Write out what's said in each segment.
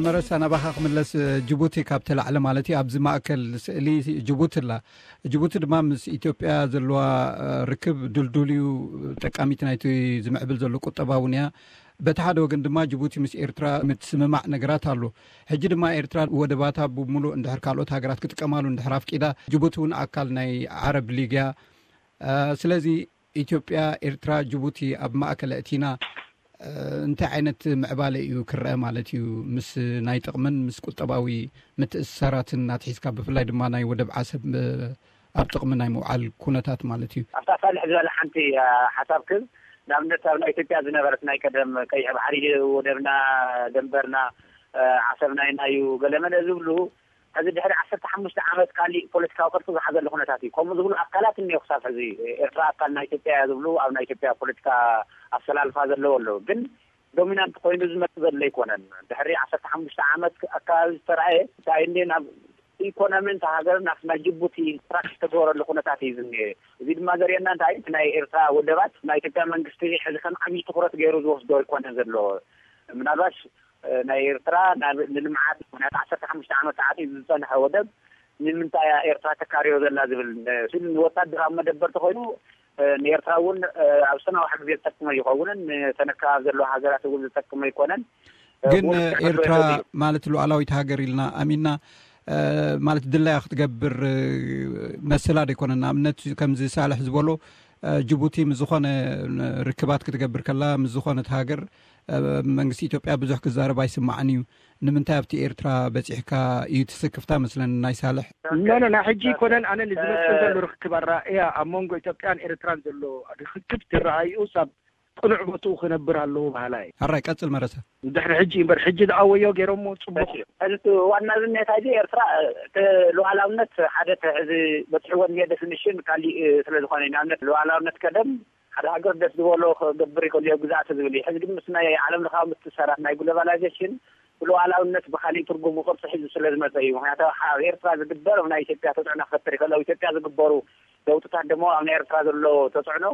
መረሳ፣ ናባኻ ክምለስ። ጅቡቲ ካብ ተላዕለ ማለት እዩ፣ ኣብዚ ማእከል ስእሊ ጅቡቲ ኣላ። ጅቡቲ ድማ ምስ ኢትዮጵያ ዘለዋ ርክብ ድልዱል እዩ፣ ጠቃሚት ናይቲ ዝምዕብል ዘሎ ቁጠባ እውን እያ። በቲ ሓደ ወገን ድማ ጅቡቲ ምስ ኤርትራ ምትስምማዕ ነገራት ኣሎ። ሕጂ ድማ ኤርትራ ወደባታ ብምሉእ እንድሕር ካልኦት ሃገራት ክጥቀማሉ እንድሕር ኣፍቂዳ፣ ጅቡቲ እውን ኣካል ናይ ዓረብ ሊግ እያ። ስለዚ ኢትዮጵያ፣ ኤርትራ፣ ጅቡቲ ኣብ ማእከል ኣእቲና እንታይ ዓይነት ምዕባለ እዩ ክረአ ማለት እዩ? ምስ ናይ ጥቕምን ምስ ቁጠባዊ ምትእስሳራትን ኣትሒዝካ፣ ብፍላይ ድማ ናይ ወደብ ዓሰብ ኣብ ጥቕሚ ናይ ምውዓል ኩነታት ማለት እዩ። ኣብታ ሳልሕ ዝበለ ሓንቲ ሓሳብ ክብ ንኣብነት ኣብ ናይ ኢትዮጵያ ዝነበረት ናይ ቀደም ቀይሕ ባሕሪ ወደብና ደንበርና ዓሰብና ኢና እዩ ገለመለ ዝብሉ፣ ሕዚ ድሕሪ ዓሰርተ ሓሙሽተ ዓመት ካሊእ ፖለቲካዊ ቅርፂ ዝሓዘሉ ኩነታት እዩ። ከምኡ ዝብሉ ኣካላት እኒኦ ክሳብ ሕዚ። ኤርትራ ኣካል ናይ ኢትዮጵያ እያ ዝብሉ ኣብ ናይ ኢትዮጵያ ፖለቲካ ኣሰላልፋ ዘለዎ ኣለዉ። ግን ዶሚናንት ኮይኑ ዝመፅእ ዘሎ ኣይኮነን። ድሕሪ ዓሰርተ ሓሙሽተ ዓመት ኣካባቢ ዝተረኣየ እንታይ እንደ ናብ ኢኮኖሚ እንተ ሃገር ናብ ናይ ጅቡቲ ስትራክቸር ዝተገበረሉ ኩነታት እዩ ዝኒሀ። እዚ ድማ ዘርእየና እንታይ ናይ ኤርትራ ወደባት ናይ ኢትዮጵያ መንግስቲ ሕዚ ከም ዓብዪ ትኩረት ገይሩ ዝወስዶ ኣይኮነን ዘሎ። ምናልባሽ ናይ ኤርትራ ንልምዓት ምክንያቱ ዓሰርተ ሓሙሽተ ዓመት ተዓፂ ዝፀንሐ ወደብ ንምንታይ እያ ኤርትራ ተካርዮ ዘላ ዝብል ስል ንወታደራዊ መደበር ተኮይኑ ንኤርትራ እውን ኣብ ዝተናውሐ ግዜ ዝጠቅመ ይኸውንን ንተነካባቢ ዘለዎ ሃገራት እውን ዝጠቅመ ይኮነን። ግን ኤርትራ ማለት ሉዓላዊት ሃገር ኢልና ኣሚና ማለት ድላያ ክትገብር መሰላ ዶ ይኮነን? ንኣብነት ከምዚ ሳልሕ ዝበሎ ጅቡቲ ምስ ዝኾነ ርክባት ክትገብር ከላ ምስ ዝኾነት ሃገር መንግስቲ ኢትዮጵያ ብዙሕ ክዛረብ ኣይስማዕን እዩ። ንምንታይ ኣብቲ ኤርትራ በፂሕካ እዩ ትስክፍታ መስለን ናይ ሳልሕ? ኖ ኖ፣ ናይ ሕጂ ይኮነን። ኣነ ንዝመፅእ ዘሎ ርክብ ኣረኣእያ ኣብ መንጎ ኢትዮጵያን ኤርትራን ዘሎ ርክክብ ትረኣዩ ሳብ ቅኑዕ ቦትኡ ክነብር ኣለዎ በሃላይ። ሕራይ ቀጽል መረሳ። ድሕሪ ሕጂ እምበር ሕጂ ዝኣወዮ ገይሮሞ ጽቡቕ። ሕዚ ዋና ዝኔታ እዚ ኤርትራ እቲ ሉዓላውነት ሓደ እቲ ሕዚ በጽሕዎ እኒሄ ዴፊኒሽን ካሊእ ስለ ዝኾነ እዩ። ንኣብነት ሉዓላውነት ቀደም ሓደ ሃገር ደስ ዝበሎ ክገብር ይኽእል እዩ ግዛእቲ ዝብል እዩ። ሕዚ ግን ምስ ናይ ዓለም ለኻዊ ምትእስሳራት ናይ ግሎባላይዜሽን ብሉዓላውነት ብኻሊእ ትርጉም ቅርፂ ሒዙ ስለ ዝመፀ እዩ። ምክንያቱ ኣብ ኤርትራ ዝግበር ኣብ ናይ ኢትዮጵያ ተፅዕኖ ክፈጥር ይኽእል። ኣብ ኢትዮጵያ ዝግበሩ ለውጥታት ደሞ ኣብ ናይ ኤርትራ ዘሎ ተፅዕኖ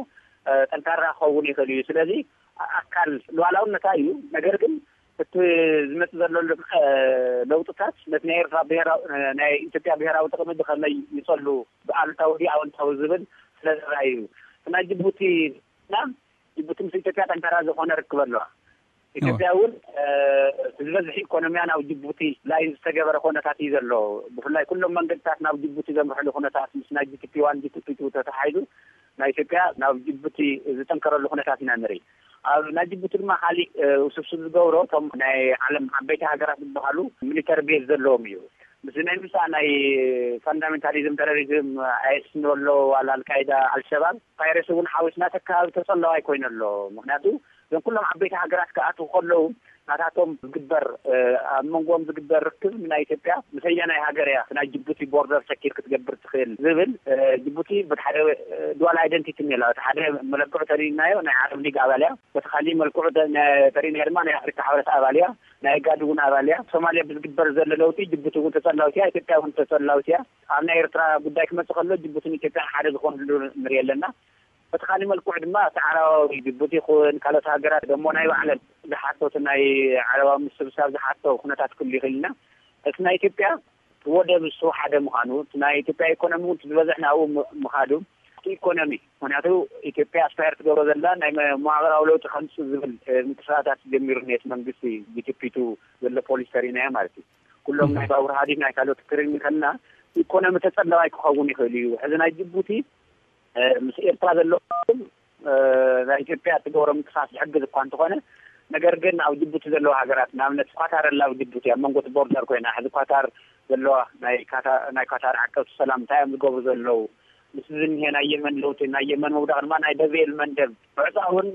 ጠንካራ ክኸውን ይኽእል እዩ። ስለዚ ኣካል ሉዓላውነታ እዩ። ነገር ግን እቲ ዝመፅእ ዘሎ ለውጥታት ነቲ ናይ ኤርትራ ናይ ኢትዮጵያ ብሄራዊ ጥቕሚ ብኸመይ ይፀሉ ብኣሉታዊ ድዩ ኣወንታዊ ዝብል ስለ ዘረኣዩ እዩ። ናይ ጅቡቲ ና ጅቡቲ ምስ ኢትዮጵያ ጠንካራ ዝኾነ ርክብ ኣለዋ። ኢትዮጵያ እውን ዝበዝሕ ኢኮኖሚያ ናብ ጅቡቲ ላይን ዝተገበረ ኩነታት እዩ ዘሎ። ብፍላይ ኩሎም መንገድታት ናብ ጅቡቲ ዘምርሕሉ ኩነታት ምስ ናይ ጂቲፒ ዋን ጂቲፒ ቱ ተተሓሒዙ ናይ ኢትዮጵያ ናብ ጅቡቲ ዝጠንከረሉ ኩነታት ኢና ንርኢ። ኣብ ናይ ጅቡቲ ድማ ካሊእ ውስብስብ ዝገብሮ እቶም ናይ ዓለም ዓበይቲ ሃገራት ዝበሃሉ ሚሊተሪ ቤዝ ዘለዎም እዩ። ምስ ናይ ምሳእ ናይ ፋንዳሜንታሊዝም ተረሪዝም ኣይስ ንበሎ ዋላ ኣልቃይዳ ኣልሸባብ ፓይረሲ እውን ሓዊስና ተካባቢ ተፀላዋይ ኮይኑ ኣሎ። ምክንያቱ እዞም ኩሎም ዓበይቲ ሃገራት ክኣትዉ ከለዉ ናታቶም ዝግበር ኣብ መንጎም ዝግበር ርክብ ናይ ኢትዮጵያ ምሰየናይ ሃገር እያ ናይ ጅቡቲ ቦርደር ሰኪር ክትገብር ትኽእል ዝብል። ጅቡቲ በቲ ሓደ ዱዋል ኣይደንቲቲ እኒላ። በቲ ሓደ መለክዑ ተሪእናዮ ናይ ዓረብ ሊግ ኣባል እያ፣ በቲ ካሊእ መልክዑ ተሪእናዮ ድማ ናይ ኣፍሪካ ሕብረት ኣባል እያ፣ ናይ ጋድ እውን ኣባል እያ። ሶማልያ ብዝግበር ዘሎ ለውጢ ጅቡቲ እውን ተፀላዊት እያ፣ ኢትዮጵያ እውን ተፀላዊት እያ። ኣብ ናይ ኤርትራ ጉዳይ ክመፅእ ከሎ ጅቡትን ኢትዮጵያን ሓደ ዝኾንሉ ንርኢ ኣለና። በቲ ካሊእ መልክዑ ድማ እቲ ዓረባዊ ጅቡቲ ይኹን ካልኦት ሃገራት ደሞ ናይ ባዕለን ዝሓቶት ናይ ዓረባዊ ምስብሳብ ዝሓቶ ኩነታት ክህሉ ይኽእል ኢና። እቲ ናይ ኢትዮጵያ ወደብ እሱ ሓደ ምዃኑ፣ እቲ ናይ ኢትዮጵያ ኢኮኖሚ እውን ዝበዝሕ ናብኡ ምኻዱ፣ እቲ ኢኮኖሚ ምክንያቱ ኢትዮጵያ ኣስፓየር ትገብሮ ዘላ ናይ መዋቅራዊ ለውጢ ከምፅእ ዝብል ምንቅስቃሳት ጀሚሩ ነቲ መንግስቲ ጂቲፒ ቱ ዘሎ ፖሊሲ ተሪእናዮ ማለት እዩ። ኩሎም ናይ ባቡር ሃዲድ ናይ ካልኦት ክሪን ከልና ኢኮኖሚ ተፀላዋይ ክኸውን ይኽእል እዩ። ሕዚ ናይ ጅቡቲ ምስ ኤርትራ ዘሎ ናይ ኢትዮጵያ ትገብሮ ምንቅስቃስ ዝሕግዝ እኳ እንተኾነ፣ ነገር ግን ኣብ ጅቡቲ ዘለዋ ሃገራት ንኣብነት ኳታር ኣላ ኣብ ጅቡቲ ኣብ መንጎ እቲ ቦርደር ኮይና ሕዚ ኳታር ዘለዋ ናይ ኳታር ዓቀብቲ ሰላም እንታይ እዮም ዝገብሩ ዘለዉ? ምስ ዝኒሀ ናይ የመን ለውጢ ናይ የመን ምውዳቕ ድማ ናይ ደብኤል መንደብ ዕፃ እውን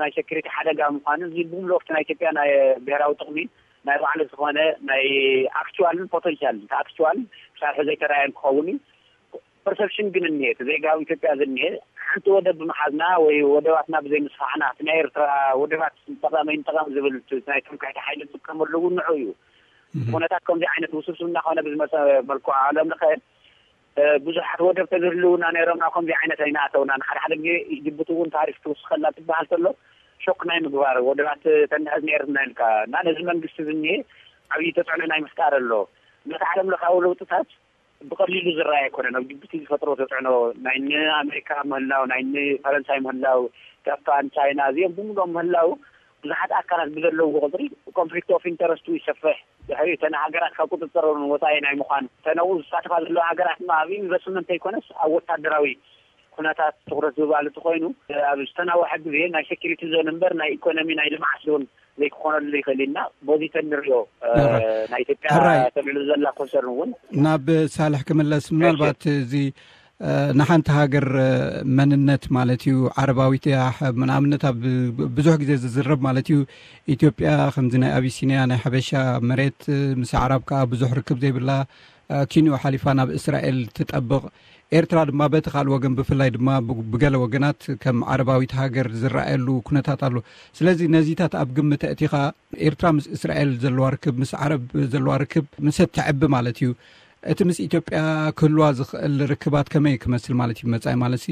ናይ ሴኩሪቲ ሓደጋ ምዃኑ እዚ ብምልኦፍቲ ናይ ኢትዮጵያ ናይ ብሔራዊ ጥቕሚ ናይ ባዕሉ ዝኾነ ናይ ኣክቹዋልን ፖተንሻል ኣክቹዋል ክሳብ ሕዚ ኣይተረኣየን ክኸውን እዩ። ፐርሰፕሽን ግን እኒሄ እቲ ዜጋ ኣብ ኢትዮጵያ ዝኒሄ ሓንቲ ወደብ ብምሓዝና ወይ ወደባትና ብዘይ ምስፋሕና እቲ ናይ ኤርትራ ወደባት ጠቐመ ይንጠቐም ዝብል ናይ ትምክሕቲ ሓይሊ ዝጥቀመሉ እውን ንዑ እዩ። ኩነታት ከምዚ ዓይነት ውስብስብ እናኾነ ብዝመፀ መልክዑ ዓለም ለኸ ብዙሓት ወደብ ተዝህልውና ነይሮም ናብ ከምዚ ዓይነት ኣይናእተውና። ንሓደ ሓደ ግዜ ጅቡቲ እውን ታሪፍ ትውስኸላ ትበሃል ተሎ ሾክ ናይ ምግባር ወደባት ተንሕዝ ነርና ኢልካ እና ነዚ መንግስቲ ዝኒሄ ዓብዪ ተፅዕኖ ናይ ምፍጣር ኣሎ። ነቲ ዓለም ለኻዊ ለውጥታት ብቐሊሉ ዝረኣይ ኣይኮነን። ኣብ ጅቡቲ ዝፈጥሮ ተፅዕኖ ናይ ንኣሜሪካ ምህላው፣ ናይ ንፈረንሳይ ምህላው፣ ጃፓን፣ ቻይና እዚኦም ብምሎም ምህላው ብዙሓት ኣካላት ብዘለውዎ ቁፅሪ ኮንፍሊክት ኦፍ ኢንተረስቱ ይሰፍሕ። ድሕሪኡ እተን ሃገራት ካብ ቁፅፅር ወፃኢ ናይ ምዃን ተነኡ ዝሳተፋ ዘለዋ ሃገራት ድማ ኣብ ኢንቨስትመንት ኣይኮነስ ኣብ ወታደራዊ ኩነታት ትኹረት ዝባል እቲ ኮይኑ ኣብ ዝተናወሐ ግዜ ናይ ሴኪሪቲ ዞን እምበር ናይ ኢኮኖሚ ናይ ልምዓት ዞን ዘይክኾነሉ ይኽእል ኢና። ቦዚተን ንሪኦ ናይ ኢትዮጵያ ተልዕሉ ዘላ ኮንሰርን እውን ናብ ሳልሕ ክምለስ ምናልባት እዚ ንሓንቲ ሃገር መንነት ማለት እዩ። ዓረባዊት እያ። ንኣብነት ኣብ ብዙሕ ግዜ ዝዝረብ ማለት እዩ። ኢትዮጵያ ከምዚ ናይ ኣቢሲኒያ ናይ ሓበሻ መሬት ምስ ኣዕራብ ከዓ ብዙሕ ርክብ ዘይብላ ኪንዮ ሓሊፋ ናብ እስራኤል ትጠብቕ። ኤርትራ ድማ በቲ ካልእ ወገን ብፍላይ ድማ ብገለ ወገናት ከም ዓረባዊት ሃገር ዝረኣየሉ ኩነታት ኣሎ። ስለዚ ነዚታት ኣብ ግምት ኣእቲኻ ኤርትራ ምስ እስራኤል ዘለዋ ርክብ ምስ ዓረብ ዘለዋ ርክብ ምስ እትዕቢ ማለት እዩ እቲ ምስ ኢትዮጵያ ክህልዋ ዝኽእል ርክባት ከመይ ክመስል ማለት እዩ? መጻኢ ማለት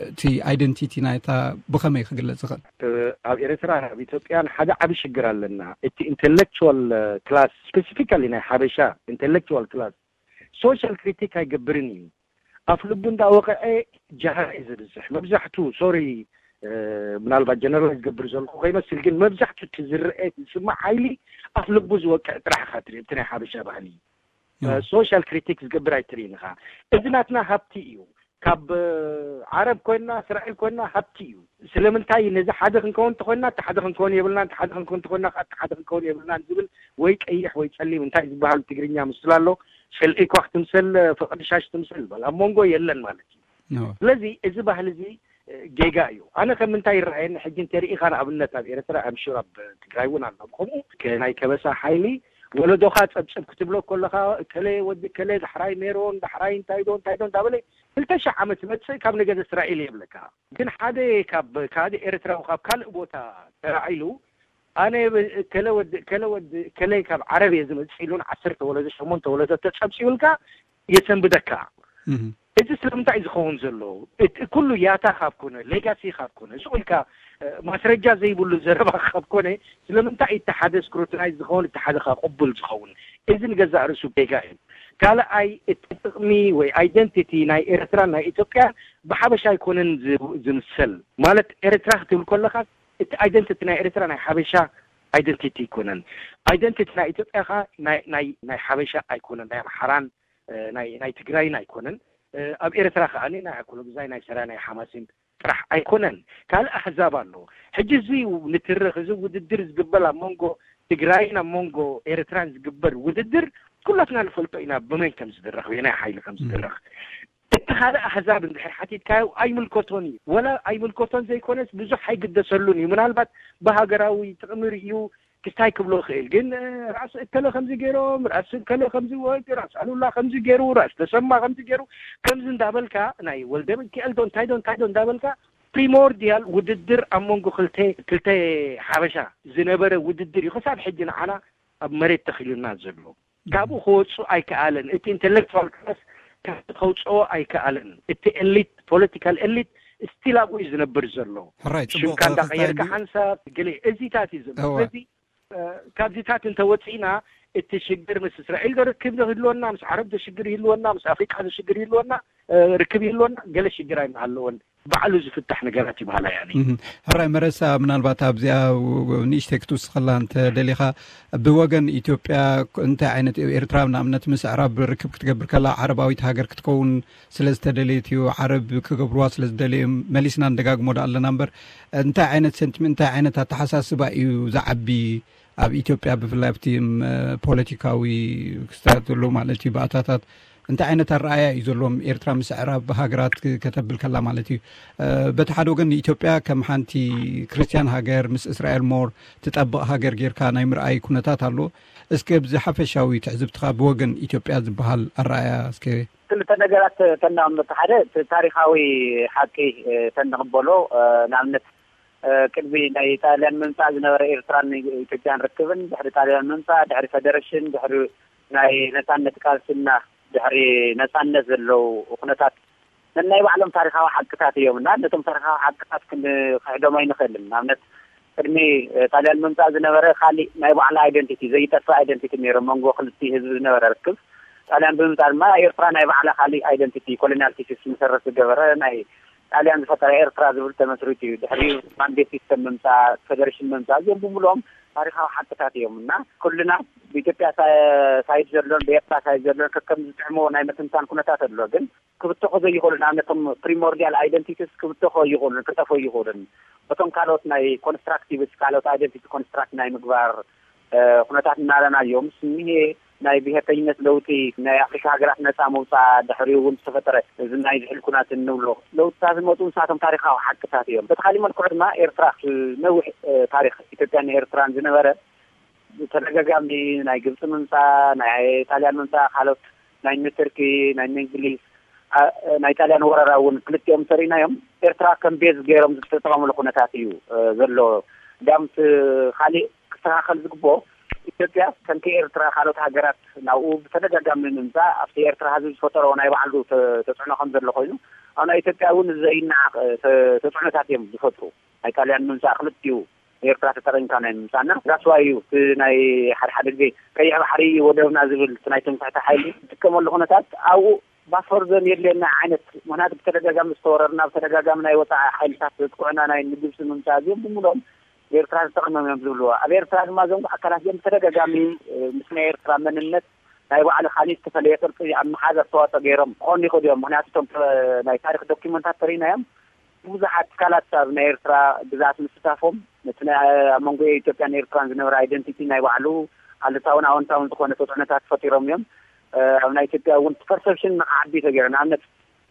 እቲ ኣይደንቲቲ ናይታ ብኸመይ ክግለጽ ዝኽእል? ኣብ ኤርትራ ኣብ ኢትዮጵያን ሓደ ዓቢ ሽግር ኣለና። እቲ ኢንተሌክቹዋል ክላስ ስፔሲፊካሊ ናይ ሓበሻ ኢንተሌክቹዋል ክላስ ሶሻል ክሪቲክ ኣይገብርን እዩ። ኣፍ ልቡ እንዳወቀዐ ጃህራ እዩ ዝብዝሕ መብዛሕቱ። ሶሪ ምናልባት ጀነራል ዝገብር ዘለኹ ከይመስል ግን መብዛሕቱ እቲ ዝረአ ዝስማዕ ሓይሊ ኣፍ ልቡ ዝወቅዕ ጥራሕ ኢኻ ትርኢ። እቲ ናይ ሓበሻ ባህሊ ሶሻል ክሪቲክ ዝገብር ኣይትርእይን ኢኻ። እዚ ናትና ሃብቲ እዩ። ካብ ዓረብ ኮይና እስራኤል ኮይና ሃብቲ እዩ። ስለምንታይ ነዚ ሓደ ክንከውን እንተኮይና እቲ ሓደ ክንከውን የብልናን፣ እቲ ሓደ ክንከውን እንተኮይና ከዓ እቲ ሓደ ክንከውን የብልናን ዝብል ወይ ቀይሕ ወይ ጸሊም እንታይ ዝበሃል ትግርኛ ምስል ኣሎ። ሰልኢ ኳ ክትምሰል ፍቅሪ ሻሽ ትምሰል በል ኣብ መንጎ የለን ማለት እዩ። ስለዚ እዚ ባህሊ እዚ ጌጋ እዩ። ኣነ ከም ምንታይ ይረኣየኒ ሕጂ እንተሪኢኻ ንኣብነት ኣብ ኤርትራ ኣምሹር ኣብ ትግራይ እውን ኣሎ ከምኡ ናይ ከበሳ ሓይሊ ወለዶኻ ጸብጽብ ክትብሎ ከለኻ እከለ ወዲ እከለ ዳሕራይ ሜሮን ዳሕራይ እንታይ ዶ እንታይ ዶ እንዳበለ ክልተ ሺሕ ዓመት መጽእ ካብ ነገድ እስራኤል የብለካ። ግን ሓደ ካብ ካልእ ኤርትራዊ ካብ ካልእ ቦታ ተራዒሉ ኣነ ከለ ወዲ ከለ ወዲ ከለ ካብ ዓረብ እየ ዝመጽእ ኢሉን ዓሰርተ ወለዶ ሸሞንተ ወለዶ ተጸብጺቡልካ የሰንብደካ። እዚ ስለምንታይ እዩ ዝኸውን ዘሎ? እቲ ኩሉ ያታ ካብ ኮነ ሌጋሲ ካብ ኮነ ሱቕ ኢልካ ማስረጃ ዘይብሉ ዘረባ ካብ ኮነ ስለምንታይ እቲ ሓደ ስክሩትናይዝ ዝኸውን እቲ ሓደ ካብ ቅቡል ዝኸውን? እዚ ንገዛእ ርእሱ ጌጋ እዩ። ካልኣይ እቲ ጥቕሚ ወይ ኣይደንቲቲ ናይ ኤርትራን ናይ ኢትዮጵያን ብሓበሻ ኣይኮነን ዝምሰል። ማለት ኤርትራ ክትብል ከለኻ እቲ ኣይደንቲቲ ናይ ኤርትራ ናይ ሓበሻ ኣይደንቲቲ ኣይኮነን። ኣይደንቲቲ ናይ ኢትዮጵያ ኸ ናይ ሓበሻ ኣይኮነን፣ ናይ ኣምሓራን ናይ ትግራይን ኣይኮነን። ኣብ ኤርትራ ከኣ ናይ ኣኮሎግዛይ ናይ ሰራ ናይ ሓማሲን ጥራሕ ኣይኮነን። ካልእ ኣህዛብ ኣሎ። ሕጂ እዚ ንትርኽ እዚ ውድድር ዝግበር ኣብ መንጎ ትግራይን ኣብ መንጎ ኤርትራን ዝግበር ውድድር ኩላትና ንፈልጦ ኢና ብመን ከም ዝድረኽ ብናይ ሓይሊ ከም ዝድረኽ። እቲ ካልእ ኣህዛብ እንድሕር ሓቲትካዮ ኣይምልከቶን እዩ። ወላ ኣይምልከቶን ዘይኮነስ ብዙሕ ኣይግደሰሉን እዩ። ምናልባት ብሃገራዊ ጥቕሚ ርእዩ ክስታይ ክብሎ ይኽእል። ግን ራእሲ እከለ ከምዚ ገይሮም፣ ራእሲ እከለ ከምዚ ወ-፣ ራእሲ ኣሉላ ከምዚ ገይሩ፣ ራእሲ ተሰማ ከምዚ ገይሩ፣ ከምዚ እንዳበልካ ናይ ወልደ ሚካኤል ዶ እንታይ ዶ እንታይ ዶ እንዳበልካ ፕሪሞርዲያል ውድድር ኣብ መንጎ ክልተ ክልተ ሓበሻ ዝነበረ ውድድር እዩ። ክሳብ ሕጂ ንዓና ኣብ መሬት ተኺሉና ዘሎ። ካብኡ ክወፁ ኣይከኣለን። እቲ ኢንተሌክቹዋል ክላስ ካብኡ ከውፅኦ ኣይከኣለን። እቲ ኤሊት ፖለቲካል ኤሊት ስቲል ኣብኡ እዩ ዝነብር ዘሎ። ሕራይ፣ ጽቡቕ ሽምካ እንዳቀየርካ ክስታይ ሓንሳብ ገለ እዚታት እዩ ዘሎ። እወ። ስለዚ ካብዚታት እንተወፂእና እቲ ሽግር ምስ እስራኤል ዶ ርክብ ይህልወና፣ ምስ ዓረብ ዶ ሽግር ይህልወና፣ ምስ ኣፍሪቃ ዶ ሽግር ይህልወና፣ ርክብ ይህልወና፣ ገለ ሽግር ኣይመሃለወን። ባዕሉ ዝፍታሕ ነገራት ይበሃላ ያኒ። እህ፣ ሕራይ መረሳ፣ ምናልባት ኣብዚኣ ንእሽተይ ክትውስኸላ እንተ ደሊኻ፣ ብወገን ኢትዮጵያ እንታይ ዓይነት፣ ኤርትራ ንኣብነት ምስ ኣዕራብ ርክብ ክትገብር ከላ ዓረባዊት ሃገር ክትከውን ስለ ዝተደለየት እዩ፣ ዓረብ ክገብርዋ ስለ ዝደለዩ እዮም፣ መሊስና ንደጋግሞ ዶ ኣለና እምበር፣ እንታይ ዓይነት ሰንቲመንት፣ እንታይ ዓይነት ኣተሓሳስባ እዩ ዝዓቢ ኣብ ኢትዮጵያ ብፍላይ ኣብቲ ፖለቲካዊ ክስተት ዘሎ ማለት እዩ ባእታታት እንታይ ዓይነት ኣረኣያ እዩ ዘለዎም ኤርትራ ምስ ኣዕራብ ሃገራት ከተብል ከላ ማለት እዩ። በቲ ሓደ ወገን ንኢትዮጵያ ከም ሓንቲ ክርስትያን ሃገር ምስ እስራኤል ሞር ትጠብቕ ሃገር ጌርካ ናይ ምርኣይ ኩነታት ኣሎ። እስከ ብዚ ሓፈሻዊ ትዕዝብትኻ ብወገን ኢትዮጵያ ዝበሃል ኣረኣያ እስከ ክልተ ነገራት ተናምት ሓደ እቲ ታሪኻዊ ሓቂ ተንቕበሎ ንኣብነት ቅድሚ ናይ ጣልያን ምምፃእ ዝነበረ ኤርትራን ኢትዮጵያን ርክብን ድሕሪ ጣልያን ምምፃእ ድሕሪ ፈደረሽን ድሕሪ ናይ ነፃነት ቃልስና ድሕሪ ነፃነት ዘለዉ ኩነታት ነናይ ባዕሎም ታሪካዊ ሓቅታት እዮም እና ነቶም ታሪካዊ ሓቅታት ክንክሕዶም ኣይንኽእልን። ንኣብነት ቅድሚ ጣልያን ምምፃእ ዝነበረ ካሊእ ናይ ባዕላ ኣይደንቲቲ፣ ዘይጠፍእ ኣይደንቲቲ ነይሩ መንጎ ክልቲ ህዝቢ ዝነበረ ርክብ። ጣልያን ብምምፃእ ድማ ኤርትራ ናይ ባዕላ ካሊእ ኣይደንቲቲ፣ ኮሎኒያል ቲሲስ መሰረት ዝገበረ ናይ ጣልያን ዝፈጠረ ኤርትራ ዝብል ተመስሪቱ እዩ። ድሕሪኡ ባንዴ ሲስተም ምምፃእ፣ ፌደሬሽን ምምፃእ፣ እዚኦም ብምሉኦም ታሪካዊ ሓቅታት እዮም እና ኩልና ብኢትዮጵያ ሳይድ ዘሎን ብኤርትራ ሳይድ ዘሎን ከከም ዝጥዕሞ ናይ ምትንታን ኩነታት ኣሎ። ግን ክብተኹ ዘይኽእሉ፣ ንኣብነቶም ፕሪሞርዲያል ኣይደንቲቲስ ክብተኹ ይኽእሉን ክጠፍኡ ይኽእሉን። በቶም ካልኦት ናይ ኮንስትራክቲቪስት ካልኦት ኣይደንቲቲ ኮንስትራክት ናይ ምግባር ኩነታት እናረናዮም ስኒሄ ናይ ብሄርተኝነት ለውጢ፣ ናይ ኣፍሪካ ሃገራት ነፃ መውፃእ፣ ድሕሪኡ እውን ዝተፈጠረ እዚ ናይ ዝሕል ኩናት እንብሎ ለውጥታት ዝመፁ ንሳቶም ታሪካዊ ሓቅታት እዮም። በቲ ካሊእ መልክዑ ድማ ኤርትራ ነዊሕ ታሪክ ኢትዮጵያን ኤርትራን ዝነበረ ተደጋጋሚ ናይ ግብፂ ምምፃእ፣ ናይ ጣልያን ምምፃእ፣ ካልኦት ናይ ቱርኪ፣ ናይ እንግሊዝ፣ ናይ ጣልያን ወረራ እውን ክልቲኦም ሰሪናዮም ኤርትራ ከም ቤዝ ገይሮም ዝተጠቐምሉ ኩነታት እዩ ዘሎ። ዳምት ካሊእ ክስተካከል ዝግብኦ ኢትዮጵያ ከምቲ ኤርትራ ካልኦት ሃገራት ናብኡ ብተደጋጋሚ ምምፃእ ኣብቲ ኤርትራ ህዝቢ ዝፈጠሮ ናይ ባዕሉ ተፅዕኖ ከም ዘሎ ኮይኑ ኣብ ናይ ኢትዮጵያ እውን ዘይነዓቕ ተፅዕኖታት እዮም ዝፈጥሩ። ናይ ጣልያን ምምፃእ ክልቲኡ ኤርትራ ተጠቂምካ ናይ ምምፃእና ራስዋ እዩ። እቲ ናይ ሓደ ሓደ ግዜ ቀይሕ ባሕሪ ወደብና ዝብል እቲ ናይ ትምክሕቲ ሓይሊ ዝጥቀመሉ ኩነታት ኣብኡ ባፈር ዞን የድልየና ዓይነት ምክንያቱ ብተደጋጋሚ ዝተወረርና ብተደጋጋሚ ናይ ወፃኢ ሓይልታት ዘጥቅዑና ናይ ንግብፂ ምምፃእ እዚኦም ብምሎም ኤርትራ ተጠቂሞም እዮም ዝብልዎ። ኣብ ኤርትራ ድማ እዞም ኣካላት እዚኦም ብተደጋጋሚ ምስ ናይ ኤርትራ መንነት ናይ ባዕሉ ካሊእ ዝተፈለየ ቅርፂ ኣብ መሓዝ ኣስተዋፅኦ ገይሮም ክኾኑ ይኽእሉ እዮም። ምክንያቱ እቶም ናይ ታሪክ ዶኪመንታት ተሪእናዮም ብዙሓት ትካላት ኣብ ናይ ኤርትራ ግዝኣት ምስታፎም ነቲ ኣብ መንጎ ኢትዮጵያን ኤርትራን ዝነበረ ኣይደንቲቲ ናይ ባዕሉ ኣሉታውን ኣወንታውን ዝኾነ ተፅዕኖታት ፈጢሮም እዮም። ኣብ ናይ ኢትዮጵያ እውን ፐርሰፕሽን ንክዓቢ ተገይሩ። ንኣብነት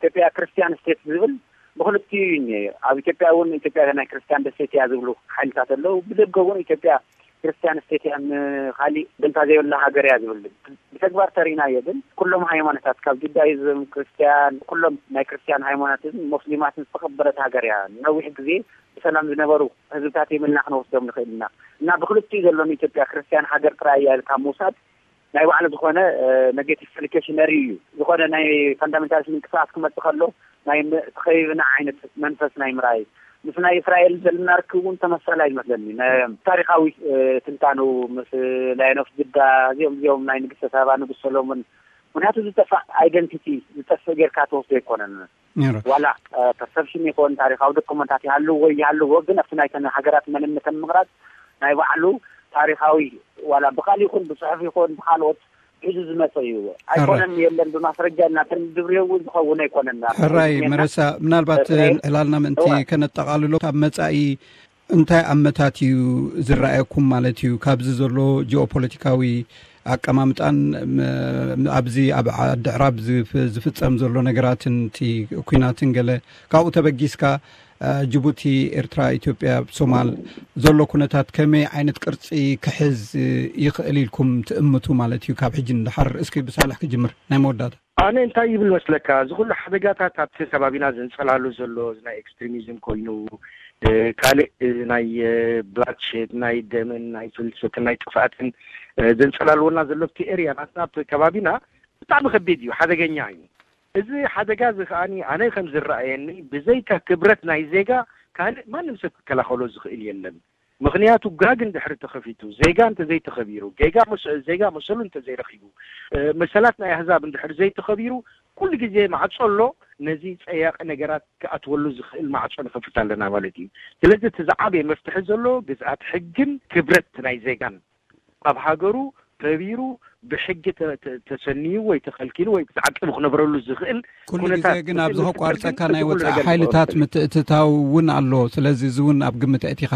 ኢትዮጵያ ክርስቲያን ስቴት ዝብል ብክልቲኡ እዩ እኒሀ። ኣብ ኢትዮጵያ እውን ኢትዮጵያ ናይ ክርስቲያን ደሴት እያ ዝብሉ ሓይልታት ኣለዉ። ብደገ እውን ኢትዮጵያ ክርስቲያን ስቴት እያ፣ ንካሊእ ደንታ ዘይብላ ሃገር እያ ዝብል። ብተግባር ተሪእናዮ ግን ኩሎም ሃይማኖታት ካብ ጁዳይዝም፣ ክርስቲያን፣ ኩሎም ናይ ክርስቲያን ሃይማኖትን ሞስሊማትን ዝተኸበረት ሃገር እያ። ነዊሕ ግዜ ብሰላም ዝነበሩ ህዝብታት የምልና ክንወስዶም ንኽእል ኢና። እና ብክልቲኡ ዘሎ ንኢትዮጵያ ክርስቲያን ሃገር ጥራይ እያ ኢልካ ምውሳድ ናይ ባዕሉ ዝኾነ ኔጌቲቭ ሪፍሌክሽነሪ እዩ። ዝኾነ ናይ ፋንዳሜንታሊስት ምንቅስቃስ ክመፅእ ከሎ ናይ ተኸቢብና ዓይነት መንፈስ ናይ ምርኣይ ምስ ናይ እስራኤል ዘለና ርክብ እውን ተመሳሳሊ ይመስለኒ። ታሪካዊ ትንታኑ ምስ ላዮን ኦፍ ጅዳ እዚኦም እዚኦም ናይ ንግስተ ሳባ ንጉስ ሰሎሞን ምክንያቱ ዝጠፍእ ኣይደንቲቲ ዝጠፍእ ጌርካ ትወስዶ ኣይኮነን። ዋላ ፐርሰፕሽን ይኮን ታሪካዊ ዶኩመንታት ይሃልዎ ይሃልዎ ግን ኣብቲ ናይተን ሃገራት መንነተን ምቕራፅ ናይ ባዕሉ ታሪካዊ ዋላ ብቃል ይኹን ብፅሑፍ ይኹን ብካልኦት ሒዙ ዝመፀ እዩ። ኣይኮነን የለን ብማስረጃ እናተን ድብርዮ እውን ዝኸውን ኣይኮነን። ሕራይ መረሳ፣ ምናልባት ዕላልና ምእንቲ ከነጠቓልሎ ካብ መፃኢ እንታይ ኣመታት እዩ ዝረኣየኩም ማለት እዩ? ካብዚ ዘሎ ጂኦፖለቲካዊ ኣቀማምጣን ኣብዚ ኣብ ዓዲ ዕራብ ዝፍፀም ዘሎ ነገራትን እቲ ኩናትን ገለ ካብኡ ተበጊስካ ጅቡቲ፣ ኤርትራ፣ ኢትዮጵያ፣ ሶማል ዘሎ ኩነታት ከመይ ዓይነት ቅርፂ ክሕዝ ይኽእል ኢልኩም ትእምቱ ማለት እዩ ካብ ሕጂ ንድሓር? እስኪ ብሳልሕ ክጅምር ናይ መወዳእታ። ኣነ እንታይ ይብል መስለካ፣ እዚ ኩሉ ሓደጋታት ኣብቲ ከባቢና ዘንጸላሉ ዘሎ እዚ ናይ ኤክስትሪሚዝም ኮይኑ ካልእ ናይ ብላድሸድ ናይ ደምን ናይ ፍልሰትን ናይ ጥፍኣትን ዘንጸላልወና ዘሎ ኣብቲ ኤርያ ናትና ኣብቲ ከባቢና ብጣዕሚ ከቢድ እዩ፣ ሓደገኛ እዩ። እዚ ሓደጋ እዚ ከዓኒ ኣነ ከም ዝረኣየኒ ብዘይካ ክብረት ናይ ዜጋ ካልእ ማንም ሰብ ክከላኸሎ ዝኽእል የለን። ምኽንያቱ ጋግ እንድሕሪ ተኸፊቱ ዜጋ እንተዘይተኸቢሩ ጌጋ ዜጋ መሰሉ እንተዘይረኺቡ መሰላት ናይ ኣህዛብ እንድሕሪ ዘይተኸቢሩ ኩሉ ግዜ ማዕጾ ኣሎ። ነዚ ጸያቂ ነገራት ክኣትወሉ ዝኽእል ማዕጾ ንኸፍት ኣለና ማለት እዩ። ስለዚ እቲ ዝዓበየ መፍትሒ ዘሎ ግዝኣት ሕግን ክብረት ናይ ዜጋን ኣብ ሃገሩ ተቢሩ ብሕጊ ተሰንዩ ወይ ተኸልኪሉ ወይ ተዓቂቡ ክነብረሉ ዝኽእል ኩሉ ግዜ ግን ኣብዚ ከቋርፀካ ናይ ወፃኢ ሓይልታት ምትእትታው እውን ኣሎ። ስለዚ እዚ እውን ኣብ ግምት ኣእቲኻ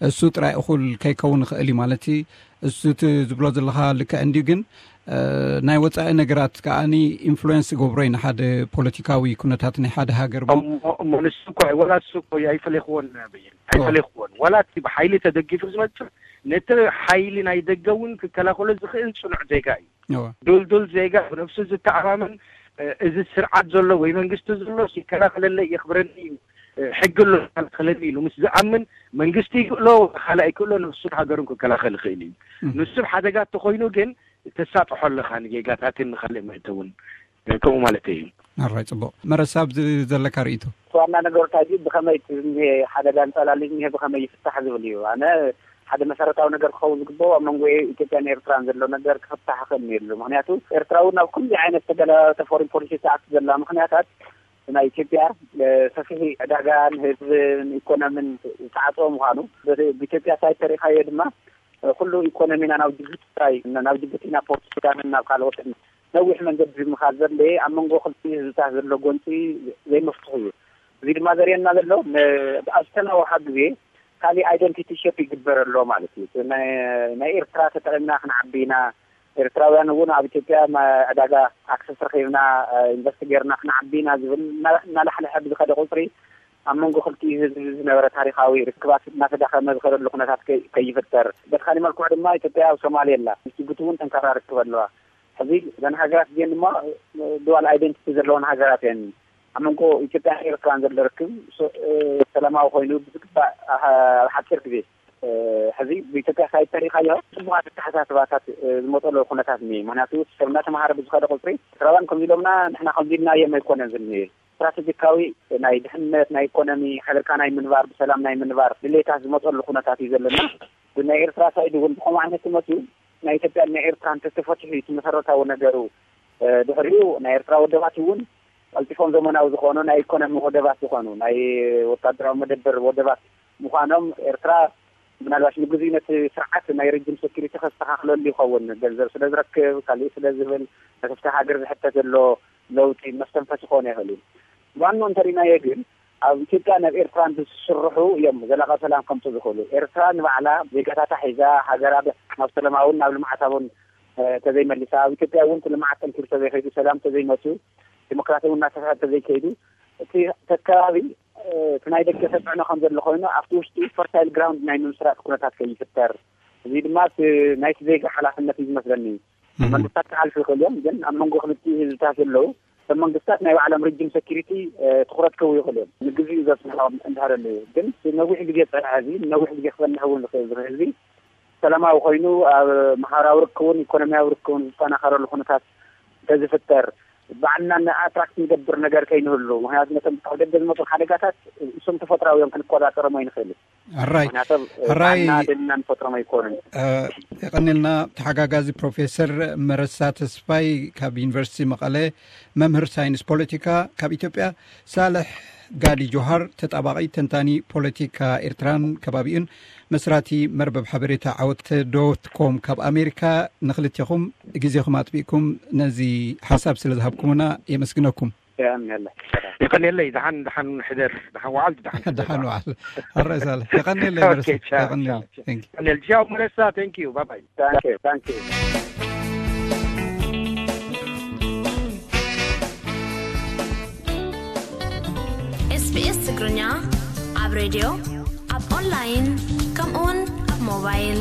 እሱ ጥራይ እኹል ከይከውን ይኽእል እዩ ማለት እዩ። እሱ እቲ ዝብሎ ዘለኻ ልክዕ እንድዩ ግን ናይ ወፃኢ ነገራት ከዓኒ ኢንፍሉዌንስ ይገብሮ እዩ ንሓደ ፖለቲካዊ ኩነታት ናይ ሓደ ሃገር እሞ። እሞ ንሱ እኮ ወላ እሱ እኮ ኣይፈለኽዎን በየን ኣይፈለኽዎን ወላ እቲ ብሓይሊ ተደጊፉ ዝመፅእ ነቲ ሓይሊ ናይ ደገ እውን ክከላኸሎ ዝኽእል ፅኑዕ ዜጋ እዩ። ዱልዱል ዜጋ ብነብሱ ዝተኣማመን እዚ ስርዓት ዘሎ ወይ መንግስቲ ዘሎ ይከላኸለለይ የኽብረኒ እዩ ሕጊ ኣሎ ይከላኸለኒ ኢሉ ምስ ዝኣምን መንግስቲ ይክእሎ ካልእ ኣይክእሎ ነብሱን ሃገሩን ክከላኸል ይኽእል እዩ። ንሱ ሓደጋ እንተኮይኑ ግን ተሳጥሖ ኣለኻ ንጌጋታትን ንካልእ መእተውን ከምኡ ማለት እዩ። ኣራይ፣ ጽቡቕ። መረሳ፣ ኣብዚ ዘለካ ርእይቶ? ዋና ነገሩ እንታይ ድዩ? ብኸመይ እቲ ዝኒሀ ሓደጋ እንጸላሊ ዝኒሀ ብኸመይ ይፍታሕ ዝብል እዩ። ኣነ ሓደ መሰረታዊ ነገር ክኸውን ዝግበኦ ኣብ መንጎ ኢትዮጵያን ኤርትራን ዘሎ ነገር ክፍታሕ ክእል የሉ። ምክንያቱ ኤርትራ እውን ኣብ ኩሉ ዓይነት ተገላባበጠ ፎሪን ፖሊሲ ትኣቱ ዘላ ምክንያታት ናይ ኢትዮጵያ ሰፊሕ ዕዳጋ ንህዝብን ኢኮኖሚን ዝተዓፀወ ምኳኑ፣ ብኢትዮጵያ ሳይድ ተሪካዮ ድማ ኩሉ ኢኮኖሚና ናብ ጅቡቲ ጥራይ፣ ናብ ጅቡቲ ናብ ፖርት ሱዳንን ናብ ካልኦትን ነዊሕ መንገዲ ምኻድ ዘድለየ ኣብ መንጎ ክልቲኡ ህዝብታት ዘሎ ጎንፂ ዘይመፍትሑ እዩ። እዚ ድማ ዘርእየና ዘሎ ኣብ ዝተናወሓ ግዜ ካሊእ ኣይደንቲቲ ሸፕ ይግበር ኣሎ ማለት እዩ። ናይ ኤርትራ ተጠቂምና ክንዓቢ ኢና፣ ኤርትራውያን እውን ኣብ ኢትዮጵያ ዕዳጋ ኣክሰስ ረኪብና ኢንቨስት ገርና ክንዓቢ ኢና ዝብል እናላሕለሐ ብዝኸደ ቁፅሪ ኣብ መንጎ ክልቲኡ ህዝቢ ዝነበረ ታሪካዊ ርክባት እናተዳኸመ ዝኸደሉ ኩነታት ከይፍጠር፣ በቲ ካሊእ መልክዑ ድማ ኢትዮጵያ ኣብ ሶማሌ ኣላ፣ ምስ ጅቡቲ እውን ጠንካራ ርክብ ኣለዋ። ሕዚ እዘን ሃገራት እዚአን ድማ ዱዋል ኣይደንቲቲ ዘለዎን ሃገራት እየን። ኣብ መንጎ ኢትዮጵያን ኤርትራን ዘሎ ርክብ ሰላማዊ ኮይኑ ብዝግባእ ኣብ ሓፂር ግዜ ሕዚ ብኢትዮጵያ ሳይድ ተሪካዮ ፅቡቃት ኣተሓሳስባታት ዝመፀሉ ኩነታት እኒሀ። ምክንያቱ ሰብ እናተምሃረ ብዝኸደ ቁፅሪ ኤርትራውያን ከምዚ ኢሎምና ንሕና ከምዚ ኢልናዮም ኣይኮነን ዝኒሀ። ስትራቴጂካዊ ናይ ድሕነት፣ ናይ ኢኮኖሚ፣ ሓቢርካ ናይ ምንባር፣ ብሰላም ናይ ምንባር ድሌታት ዝመፀሉ ኩነታት እዩ ዘለና። ግን ናይ ኤርትራ ሳይድ እውን ብከምኡ ዓይነት መፅዩ ናይ ኢትዮጵያን ናይ ኤርትራን ተተፈትሑ እቲ መሰረታዊ ነገሩ። ድሕሪኡ ናይ ኤርትራ ወደባት እውን ቀልጢፎም ዘመናዊ ዝኾኑ ናይ ኢኮኖሚ ወደባት ዝኾኑ ናይ ወታደራዊ መደበር ወደባት ምዃኖም ኤርትራ ምናልባሽ ንግዜኡ ነቲ ስርዓት ናይ ረጅም ሴኩሪቲ ከስተኻኽለሉ ይኸውን። ገንዘብ ስለ ዝረክብ፣ ካልእ ስለ ዝብል፣ ነቲ ሃገር ዝሕተት ዘሎ ለውጢ መስተንፈሲ ክኾን ይኽእል እዩ። ዋንኡ እንተሪእናዮ ግን ኣብ ኢትዮጵያ ናብ ኤርትራ እንትስርሑ እዮም ዘላቂ ሰላም ከምፁ ዝኽእሉ። ኤርትራ ንባዕላ ዜጋታታ ሒዛ ሃገራ ናብ ሰላማውን ናብ ልምዓታውን ተዘይመሊሳ፣ ኣብ ኢትዮጵያ እውን እቲ ልምዓት ጠንኪሩ ተዘይኸይዱ፣ ሰላም ተዘይመፅኡ፣ ዲሞክራሲ እውን እናሰፍሐ ተዘይከይዱ፣ እቲ ከባቢ እቲ ናይ ደገ ተፅዕኖ ከም ዘሎ ኮይኑ ኣብቲ ውሽጢ ፈርታይል ግራውንድ ናይ ምምስራት ኩነታት ከይፍጠር፣ እዚ ድማ ናይቲ ዜጋ ሓላፍነት እዩ ዝመስለኒ። መንግስታት ክሓልፉ ይኽእሉ እዮም፣ ግን ኣብ መንጎ ክልቲኡ ህዝብታት ዘለዉ እቶም መንግስታት ናይ ባዕሎም ሪጅን ሴኪሪቲ ትኩረት ክህቡ ይኽእሉ እዮም። ንግዚኡ ዘፅንሖም እንድሕር ኣለዩ ግን ነዊሕ ግዜ ዝፀንሐ ህዝቢ፣ ነዊሕ ግዜ ክፀንሕ እውን ዝኽእል ህዝቢ ሰላማዊ ኮይኑ ኣብ ማሕበራዊ ርክቡን ኢኮኖሚያዊ ርክቡን ዝጠናኸረሉ ኩነታት እንተዝፍጠር ባዕልና ንኣትራክት ንገብር ነገር ከይንህሉ። ምክንያቱ ነቶም ካብ ደገ ዝመፁ ሓደጋታት እሶም ተፈጥራዊ እዮም፣ ክንቆፃፀሮም ኣይንኽእልን። ሕራይ። ምክንያቱ ሕራይ። ባዕልና ደልና ንፈጥሮም ኣይኮኑን። የቐኒልና ተሓጋጋዚ ፕሮፌሰር መረሳ ተስፋይ ካብ ዩኒቨርሲቲ መቐለ፣ መምህር ሳይንስ ፖለቲካ፣ ካብ ኢትዮጵያ ሳልሕ ጋዲ ጆሃር ተጣባቒ ተንታኒ ፖለቲካ ኤርትራን ከባቢኡን መስራቲ መርበብ ሓበሬታ ዓወት ዶት ኮም ካብ ኣሜሪካ፣ ንክልቴኹም ግዜኹም ኣጥቢቕኩም ነዚ ሓሳብ ስለ ዝሃብኩምና የመስግነኩም። የቐንየለይ። ደሓን ደሓን ሕደር፣ ደሓን ወዓል፣ ደሓን ሕደር። ደሓን ወዓል። ሕራይ ሳልሕ። የቐንየለይ መረሳ። ኦኬ፣ ቻው፣ የቐንየለይ። ቻው፣ ቻው። Thank you። የቐንየል። ቻው መረሳ፣ thank you፣ bye bye። Thank you፣ thank you። SBS ትግርኛ ኣብ ሬድዮ፣ ኣብ ኦንላይን፣ ከምኡውን ኣብ ሞባይል።